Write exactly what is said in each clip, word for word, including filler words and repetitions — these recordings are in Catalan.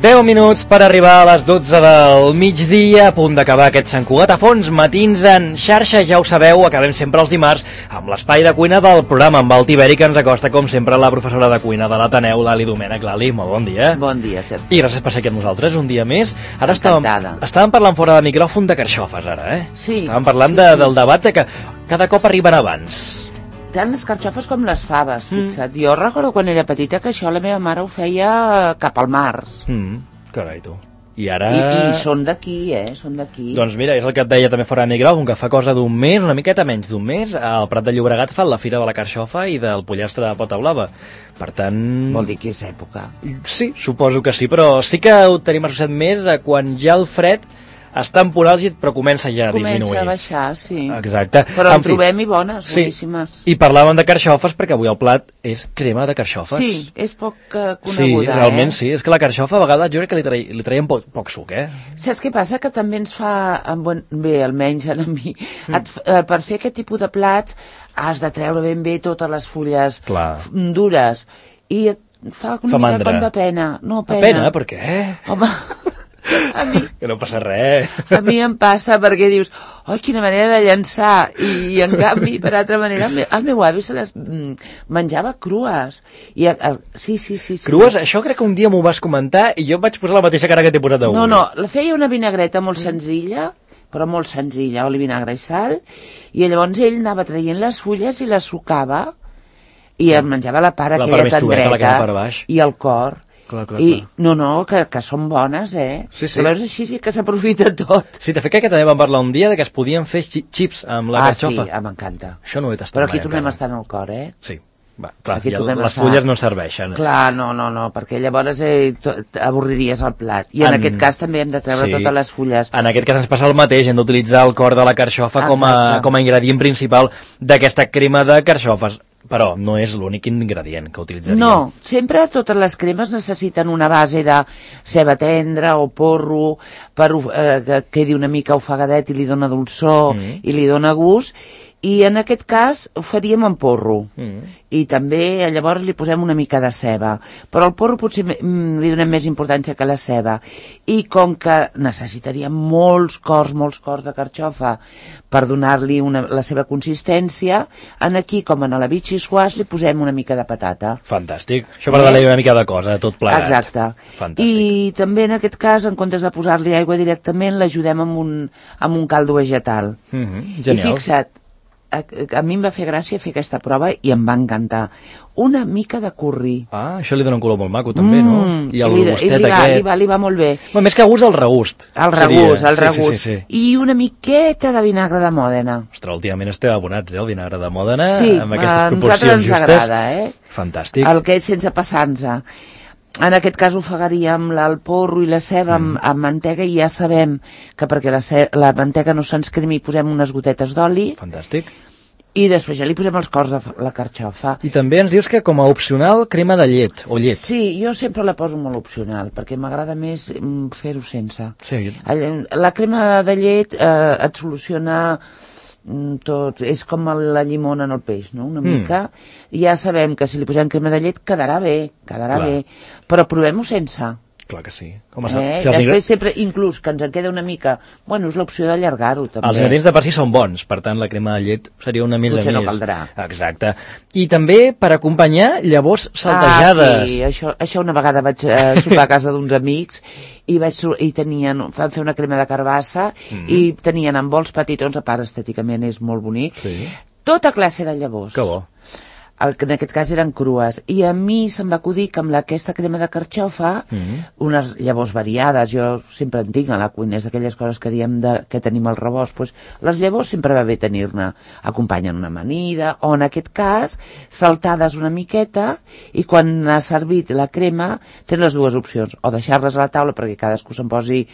deu minuts per arribar a les dotze del migdia, a punt d'acabar aquest Sant Cugat a fons, matins en xarxa, ja ho sabeu, acabem sempre els dimarts amb l'espai de cuina del programa, amb el Tiberi, que ens acosta, com sempre, la professora de cuina de l'Ateneu, Lali Domènech. Lali, molt bon dia. Bon dia, Sergi. I gràcies per ser aquí amb nosaltres un dia més. Ara estàvem, estàvem parlant fora de micròfon de carxofes, ara, eh? Sí. Estàvem parlant sí, de, sí. del debat de que cada cop arriben abans. Tant les carxofes com les faves, fixa't. Mm. Jo recordo quan era petita que això la meva mare ho feia cap al març. Mm, carai, tu. I ara... I, i són d'aquí, eh? Són d'aquí. Doncs mira, és el que et deia també fora de micròfon, que fa cosa d'un mes, una miqueta menys d'un mes, al Prat de Llobregat fan la Fira de la Carxofa i del pollastre de pota blava. Per tant... Vol dir que és època. Sí, suposo que sí, però sí que ho tenim associat més a quan ja el fred està en punt àlgid, però comença ja a comença disminuir. Comença a baixar, sí. Exacte. Però en, en trobem i bones, sí. boníssimes. I parlàvem de carxofes perquè avui el plat és crema de carxofes. Sí, és poc uh, coneguda, sí, realment eh? sí. És que la carxofa a vegades jo crec que li, trai, li traiem poc, poc suc, eh? Saps què passa? Que també ens fa, bé, almenys a mi, mm. et, uh, per fer aquest tipus de plats has de treure ben bé totes les fulles Clar. dures. I et fa una fa mica mandra. com de pena. No, pena. A pena? Per què? Home... A mi, que no passa res. A mi em passa perquè dius, oh, quina manera de llançar, i, i en canvi, per altra manera, el meu, el meu avi se les mm, menjava crues. I el, el, sí, sí, sí, sí. Crues? Això crec que un dia m'ho vas comentar i jo vaig posar la mateixa cara que t'he posat avui. No, no, la feia una vinagreta molt senzilla, però molt senzilla, oli, vinagre i sal, i llavors ell anava traient les fulles i les sucava, i es menjava la part la aquella part tendreta, la per baix. I el cor. Clar, clar, I, clar. no, no, que, que són bones, eh? Sí, sí. Però veus, així sí que s'aprofita tot. Sí, de fet que també vam parlar un dia de que es podien fer xips amb la ah, carxofa. Ah, sí, m'encanta. Això no ho he tastat Però aquí mai, tornem encara. a estar en el cor, eh? Sí. Va, clar, aquí ja les estar... fulles no serveixen. Clar, no, no, no, perquè llavors eh, avorriries el plat. I en, en aquest cas també hem de treure sí. totes les fulles. En aquest cas ens passa el mateix, hem d'utilitzar el cor de la carxofa com a, com a ingredient principal d'aquesta crema de carxofes. Però no és l'únic ingredient que utilitzaríem. No, sempre totes les cremes necessiten una base de ceba tendra o porro per eh, que quedi una mica ofegadet i li dona dolçor mm. i li dona gust. I en aquest cas ho faríem amb porro. Mm. I també llavors li posem una mica de ceba. Però el porro potser mm, li donem més importància que la ceba. I com que necessitaríem molts cors, molts cors de carxofa per donar-li una, la seva consistència, en aquí, com en la bitxi squash, li posem una mica de patata. Fantàstic. Això per donar-li una mica de cosa, tot plegat. Exacte. Fantàstic. I també en aquest cas, en comptes de posar-li aigua directament, l'ajudem amb un, amb un caldo vegetal. Mm-hmm. Genial. I fixa't, a, a mi em va fer gràcia fer aquesta prova i em va encantar. Una mica de curri. Ah, això li dona un color molt maco també, mm, no? I el li, gustet i li va, aquest... Li va, li va molt bé. Bueno, més que gust, el regust. El regust, el regust. Sí, sí, sí, sí. I una miqueta de vinagre de Mòdena. Ostres, últimament esteu abonats, eh, el vinagre de Mòdena, sí, amb aquestes a proporcions ens justes. agrada, eh? Fantàstic. El que és sense passar-nos. En aquest cas ofegaríem el porro i la ceba amb, mm. amb mantega i ja sabem que perquè la, ce la mantega no se'ns cremi posem unes gotetes d'oli. Fantàstic. I després ja li posem els cors de la carxofa. I també ens dius que com a opcional crema de llet, o llet. Sí, jo sempre la poso molt opcional, perquè m'agrada més fer-ho sense. Sí. La crema de llet eh, et soluciona tot, és com la llimona en el peix, no? Una mm. mica. Ja sabem que si li posem crema de llet quedarà bé, quedarà Clar. bé, però provem-ho sense. Clar que sí. Com a eh? Si Després ingre... sempre, inclús, que ens en queda una mica... Bueno, és l'opció d'allargar-ho, també. Els ingredients de per si són bons, per tant, la crema de llet seria una més Potser a més. no caldrà. Exacte. I també, per acompanyar, llavors saltejades. Ah, sí, això, això una vegada vaig eh, sopar a casa d'uns amics i, vaig, i tenien, van fer una crema de carbassa mm. i tenien en bols petitons, a part estèticament és molt bonic, sí. tota classe de llavors. Que bo. El, en aquest cas eren crues, i a mi se'm va acudir que amb la, aquesta crema de carxofa, mm-hmm. unes llavors variades, jo sempre en tinc a la cuina, és d'aquelles coses que diem de, que tenim al rebost, pues, les llavors sempre va bé tenir-ne, acompanyen una amanida, o en aquest cas, saltades una miqueta, i quan ha servit la crema, tens les dues opcions, o deixar-les a la taula perquè cadascú se'n posi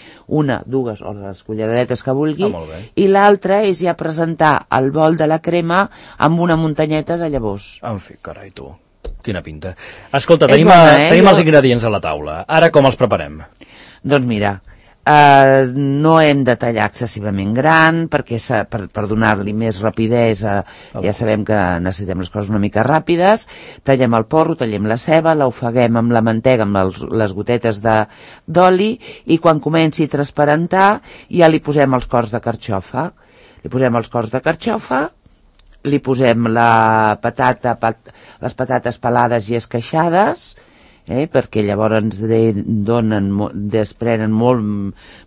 una, dues, o les culleradetes que vulgui, ah, i l'altra és ja presentar el bol de la crema amb una muntanyeta de llavors. En fi, carai, tu. Quina pinta. Escolta, tenim, bona, eh? tenim jo... els ingredients a la taula. Ara com els preparem? Doncs mira, Uh, no hem de tallar excessivament gran perquè per, per donar-li més rapidesa, ja sabem que necessitem les coses una mica ràpides. Tallem el porro, tallem la ceba, l'ofeguem amb la mantega, amb els, les gotetes d'oli, i quan comenci a transparentar ja li posem els cors de carxofa. Li posem els cors de carxofa, li posem la patata, pat, les patates pelades i esqueixades, Eh, perquè llavors ens donen, desprenen molt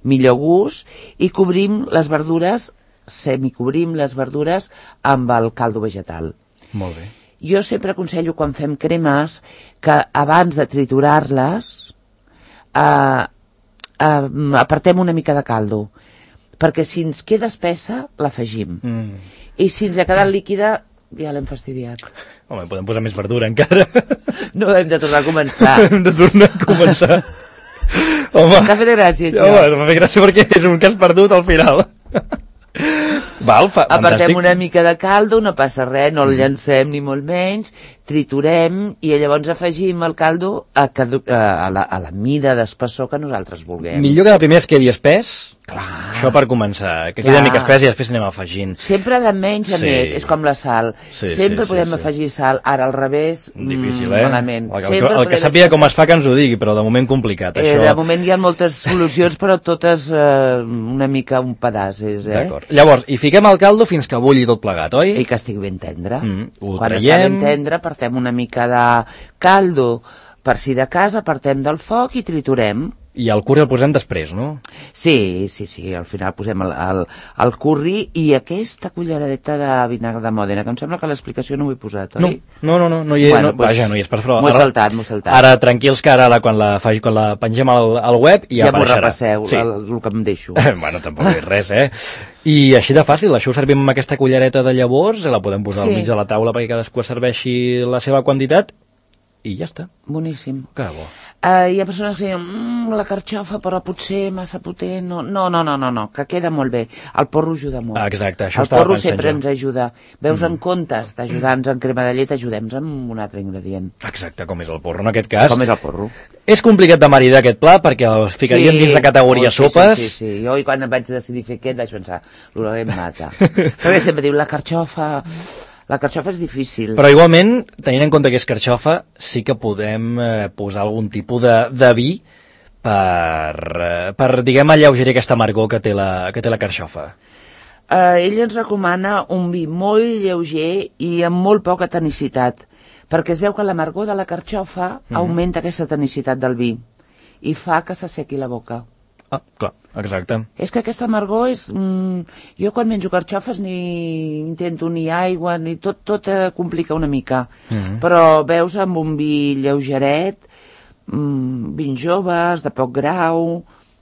millor gust, i cobrim les verdures, semicobrim les verdures amb el caldo vegetal. Molt bé. Jo sempre aconsello, quan fem cremes, que abans de triturar-les eh, eh, apartem una mica de caldo, perquè si ens queda espessa l'afegim, mm. i si ens ha quedat líquida ja l'hem fastidiat. Home, podem posar més verdura encara. No, hem de tornar a començar. Hem de tornar a començar. Home, t'ha fet gràcia, això. Home, m'ha fet gràcia perquè és un que has perdut al final. Val, fa, apartem fantàstic. Una mica de caldo, no passa res, no el llancem ni molt menys, triturem i llavors afegim el caldo a, a, la, a la mida d'espessor que nosaltres vulguem. Millor que de primer es quedi espès. Clar. Això per començar, que quedi una mica espès i després anem afegint. Sempre de menys a sí. més, és com la sal. Sí, sempre sí, podem sí, afegir sal, ara al revés, difícil, eh? malament. El, el, el, el que sàpiga com es fa que ens ho digui, però de moment complicat, eh, això. De moment hi ha moltes solucions, però totes eh, una mica un pedaç. Eh? D'acord. Llavors, hi fiquem el caldo fins que bulli tot plegat, oi? I que estigui ben tendre. Mm, ho Quan traiem. està ben tendre, apartem una mica de caldo, per si de cas, apartem del foc i triturem. I el curri el posem després, no? Sí, sí, sí, al final posem el, el, el curri i aquesta culleradeta de vinagre de Mòdena, que em sembla que l'explicació no ho he posat, oi? No, no, no, no hi, bueno, no, pues, vaja, no hi és per prou. M'ho he saltat, m'ho he saltat. Ara, tranquils, que ara, quan la, quan la pengem al, al web ja, ja apareixerà. Ja m'ho repasseu, sí. el, el que em deixo. Bueno, tampoc és res, eh? I així de fàcil, això ho servim amb aquesta cullereta de llavors, la podem posar sí. al mig de la taula perquè cadascú serveixi la seva quantitat i ja està. Boníssim. Que bo. Uh, hi ha persones que diuen, mmm, la carxofa, però potser massa potent. No, no, no, no, no, no, que queda molt bé. El porro ajuda molt. Ah, exacte, això el estava porro pensant sempre jo. ens ajuda. Veus, mm. en comptes d'ajudar-nos en crema de llet, ajudem-nos amb un altre ingredient. Exacte, com és el porro en aquest cas. Com és el porro. És complicat de maridar aquest pla perquè el ficaríem sí, dins la categoria oh, sí, sopes. Sí, sí, sí. Jo quan vaig decidir fer aquest vaig pensar, l'olor em mata. Perquè sempre diu, la carxofa... La carxofa és difícil. Però igualment, tenint en compte que és carxofa, sí que podem eh, posar algun tipus de, de vi per, eh, per, diguem, alleugerir aquesta amargor que té la, que té la carxofa. Uh, ell ens recomana un vi molt lleuger i amb molt poca tonicitat, perquè es veu que l'amargor de la carxofa mm. augmenta aquesta tonicitat del vi i fa que s'assequi la boca. Ah, clar, exacte. És que aquesta amargor és... Mm, jo quan menjo carxofes ni intento ni aigua, ni tot, tot eh, complica una mica. Mm-hmm. Però veus amb un vi lleugeret, mm, vins joves, de poc grau...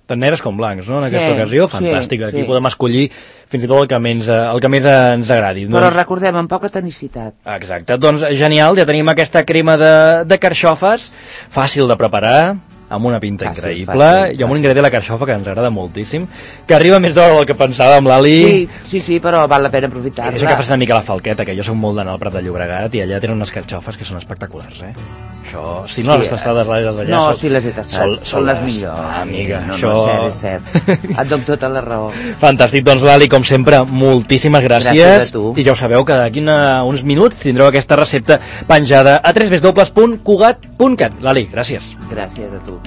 Tant negres com blancs, no? En aquesta sí, ocasió, fantàstic. Sí, Aquí sí. podem escollir fins i tot el que més, el que més ens agradi. Però doncs... recordem, amb poca tonicitat. Exacte, doncs genial, ja tenim aquesta crema de, de carxofes, fàcil de preparar, amb una pinta fàcil, increïble, fàcil, i amb un ingredient de la carxofa que ens agrada moltíssim, que arriba més d'hora del que pensàvem, l'Ali. Sí, sí, sí, però val la pena aprofitar-la. És que fas una mica la falqueta, que jo soc molt d'anar al Prat de Llobregat i allà tenen unes carxofes que són espectaculars, eh? Això, si no sí, les tastades l'Ali d'allà... No, són, sí les he tastat, són, són les millors. Ah, amiga, no, això... no, és cert, és cert. Et dono tota la raó. Fantàstic, doncs l'Ali, com sempre, moltíssimes gràcies. Gràcies a tu. I ja ho sabeu que d'aquí uns minuts tindreu aquesta recepta penjada a w w w punt cugat punt cat. L'Ali, gràcies. Gràcies a tu.